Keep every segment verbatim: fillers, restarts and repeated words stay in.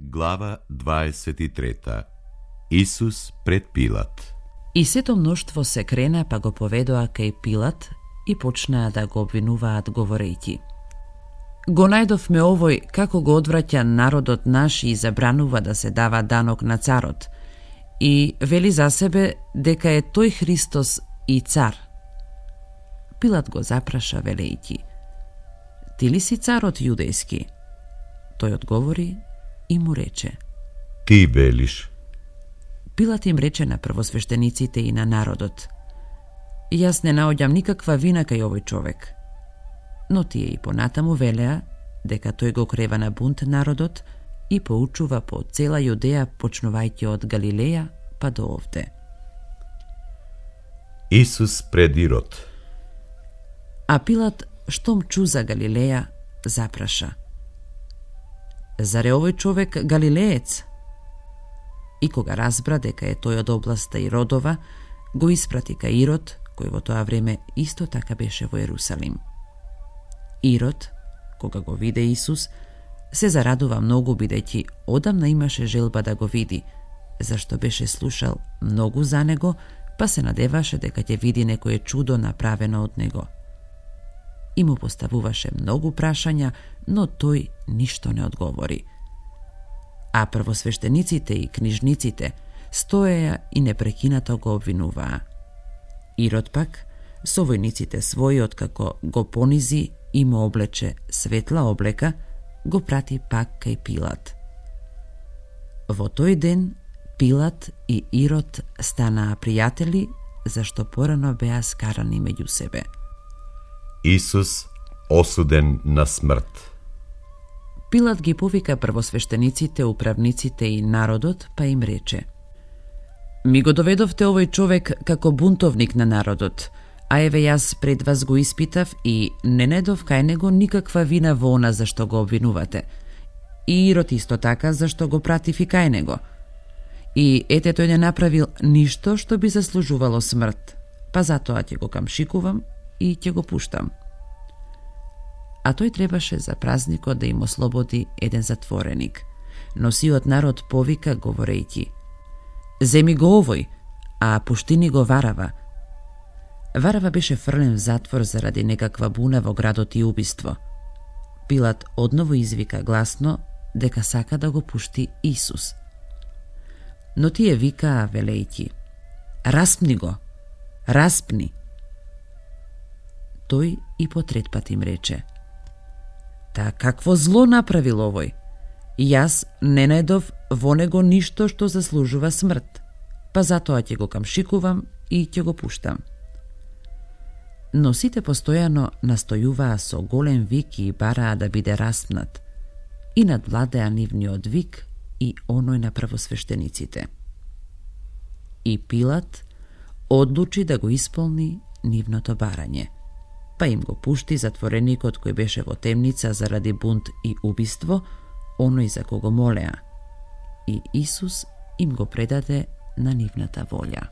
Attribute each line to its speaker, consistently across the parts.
Speaker 1: Глава дваесет и трета. Исус пред Пилат.
Speaker 2: И сето мноштво се крена па го поведоа кај Пилат и почнаа да го обвинуваат говорејќи: Го најдовме овој како го одвраќа народот наш и забранува да се дава данок на царот, и вели за себе дека е тој Христос и цар. Пилат го запраша велејќи: Ти ли си царот јудејски? Тој одговори и му рече:
Speaker 1: Ти велиш.
Speaker 2: Пилат им рече на првосвештениците и на народот: Јас не наоѓам никаква вина кај овој човек. Но тие и понатаму велеа дека тој го крева на бунт народот и поучува по цела Јудеја, почнувајќи од Галилеја па до овде.
Speaker 1: Исус пред Ирод.
Speaker 2: А Пилат, штом чу за Галилеја, запраша: Зар е овој човек галилеец? И кога разбра дека е тој од областа Иродова, го испрати кај Ирод, кој во тоа време исто така беше во Ерусалим. Ирод, кога го виде Исус, се зарадува многу, бидејќи одамна имаше желба да го види, зашто беше слушал многу за него, па се надеваше дека ќе види некое чудо направено од него. И му поставуваше многу прашања, но тој ништо не одговори. А првосвештениците и книжниците стоеја и непрекинато го обвинуваа. Ирод пак, со војниците своји, откако го понизи и му облече светла облека, го прати пак кај Пилат. Во тој ден Пилат и Ирод станаа пријатели, зашто порано беа скарани меѓу себе.
Speaker 1: Исус осуден на смрт.
Speaker 2: Пилат ги повика првосвештениците, управниците и народот, па им рече: Ми го доведовте овој човек како бунтовник на народот, а еве јас пред вас го испитав и не недов кај него никаква вина во она за што го обвинувате. И Ирод исто така, зашто го пратив и кај него. И ете, тој не направил ништо што би заслужувало смрт, па затоа ќе го камшикувам и ќе го пуштам. А тој требаше за празникот да им ослободи еден затвореник. Но сиот народ повика говорејќи: Земи го овој, а пуштини го Варава. Варава беше фрлен в затвор заради некаква буна во градот и убиство. Пилат одново извика гласно дека сака да го пушти Исус. Но тие викаа велејќи: Распни го, распни. Тој и по трет пат им рече: Та какво зло направил овој? Јас не најдов во него ништо што заслужува смрт, па затоа ќе го камшикувам и ќе го пуштам. Но сите постојано настојуваа со голем вик и бараа да биде распнат, и надвладеа нивниот вик и оној на првосвештениците. И Пилат одлучи да го исполни нивното барање, па им го пушти затвореникот кој беше во темница заради бунт и убиство, оној за кого молеа, и Исус им го предаде на нивната волја.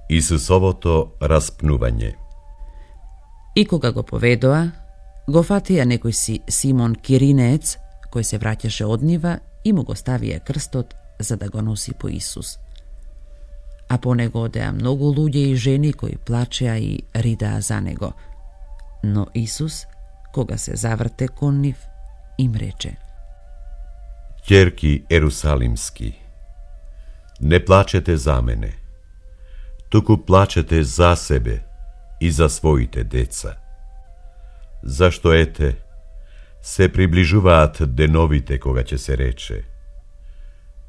Speaker 1: Исусовото распнување.
Speaker 2: И кога го поведоа, го фатија некој си Симон Киринеец, кој се враќаше од нива, и му го ставија крстот за да го носи по Исус. А по него одеа многу луѓе и жени кои плачеа и ридаа за него. Но Исус, кога се заврте кон нив, им рече:
Speaker 1: Ќерки ерусалимски, не плачете за мене, туку плачете за себе и за своите деца. Зашто ете, се приближуваат деновите кога ќе се рече: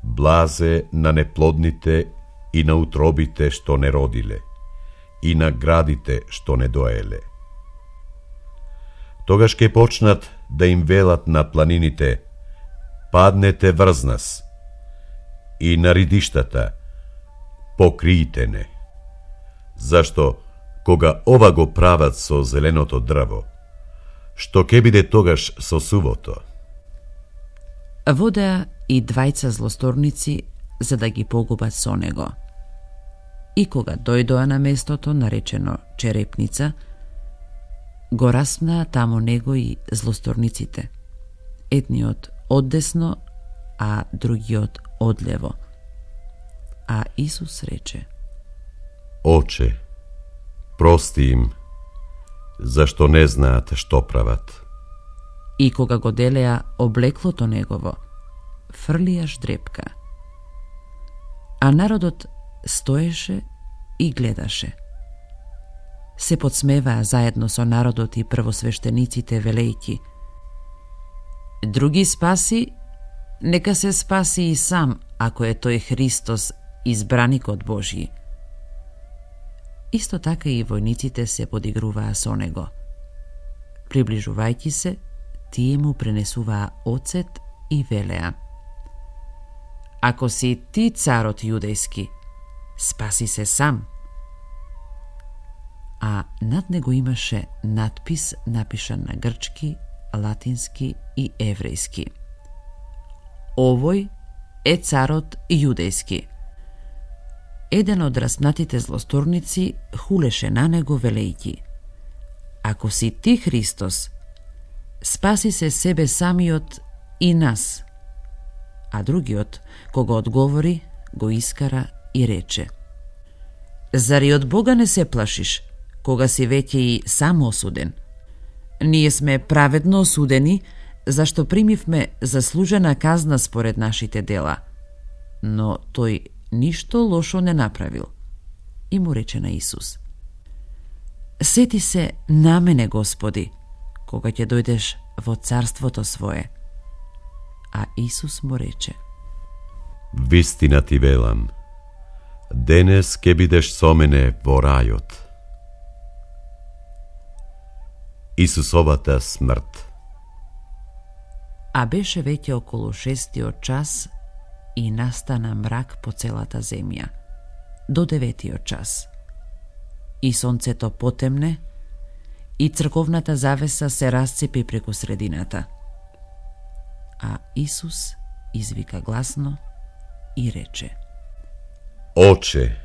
Speaker 1: Блазе на неплодните и на утробите што не родиле, и на градите што не доеле. Тогаш ќе почнат да им велат на планините: Паднете врз нас, и на ридиштата: Покријте не. Зашто, кога ова го прават со зеленото дрво, што ќе биде тогаш со сувото?
Speaker 2: Водеа и двајца злосторници за да ги погубат со него. И кога дојдоа на местото наречено Черепница, го распнаа таму него и злосторниците. Едниот оддесно, а другиот одлево. А Исус рече:
Speaker 1: Оче, прости им, зашто не знаат што прават.
Speaker 2: И кога го делеа облеклото негово, фрлија ждрепка. А народот стоеше и гледаше. Се подсмеваа заедно со народот и првосвештениците, велејки: Други спаси, нека се спаси и сам, ако е тој Христос, избраникот Божји. Исто така и војниците се подигруваа со него. Приближувајќи се, тие му пренесуваа оцет и велеа: Ако си ти царот јудејски, спаси се сам. А над него имаше надпис напишан на грчки, латински и еврејски: Овој е царот јудејски. Еден од распнатите злосторници хулеше на него, велејќи: Ако си ти Христос, спаси се себе самиот и нас. А другиот, кога одговори, го искара и рече: Зари од Бога не се плашиш, кога си веќе и сам осуден? Ние сме праведно осудени, зашто примивме заслужена казна според нашите дела. Но тој ништо лошо не направил. И му рече на Исус: Сети се на мене, Господи, кога ќе дојдеш во царството свое. А Исус му рече:
Speaker 1: Вистина ти велам, денес ке бидеш со мене во рајот. Исусовата смрт.
Speaker 2: А беше веќе околу шестиот час и настана мрак по целата земја, до деветиот час. И сонцето потемне, и црковната завеса се расцепи преку средината. А Исус извика гласно и рече:
Speaker 1: Оче,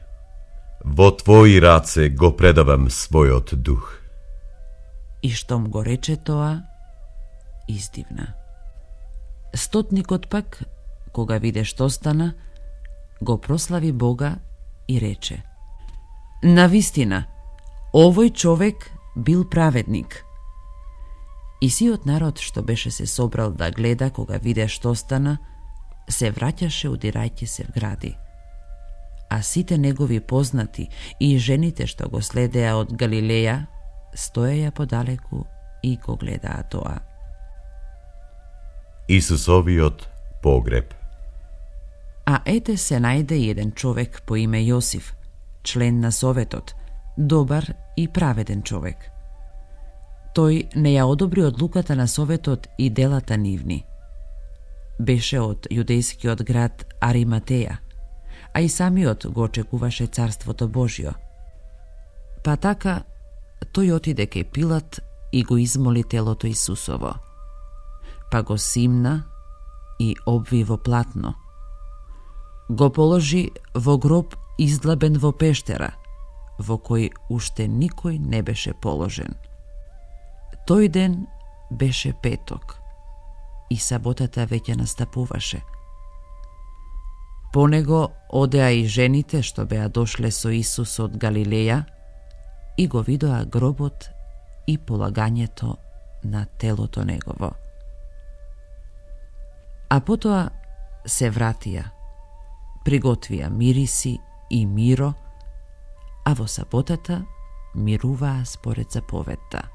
Speaker 1: во Твои раце го предавам својот дух.
Speaker 2: И штом го рече тоа, издивна. Стотникот пак, кога виде што стана, го прослави Бога и рече: Навистина, овој човек бил праведник. И сиот народ што беше се собрал да гледа кога виде што стана, се враќаше удирајќи се в гради. А сите негови познати и жените што го следеа од Галилеја, стоеја подалеку и го гледаа тоа.
Speaker 1: Исусовиот погреб.
Speaker 2: А ете се најде еден човек по име Јосиф, член на Советот, добар и праведен човек. Тој не ја одобри одлуката на Советот и делата нивни. Беше од јудејскиот град Ариматеја, а и самиот го очекуваше царството Божјо. Па така, тој отиде кај Пилат и го измоли телото Исусово. Па го симна и обви во платно. Го положи во гроб издлабен во пештера, во кој уште никој не беше положен. Тој ден беше петок и саботата веќе настапуваше. По него одеа и жените што беа дошле со Исус од Галилеја и го видоа гробот и полагањето на телото негово. А потоа се вратија, приготвија мириси и миро, а во саботата мируваа според заповедта.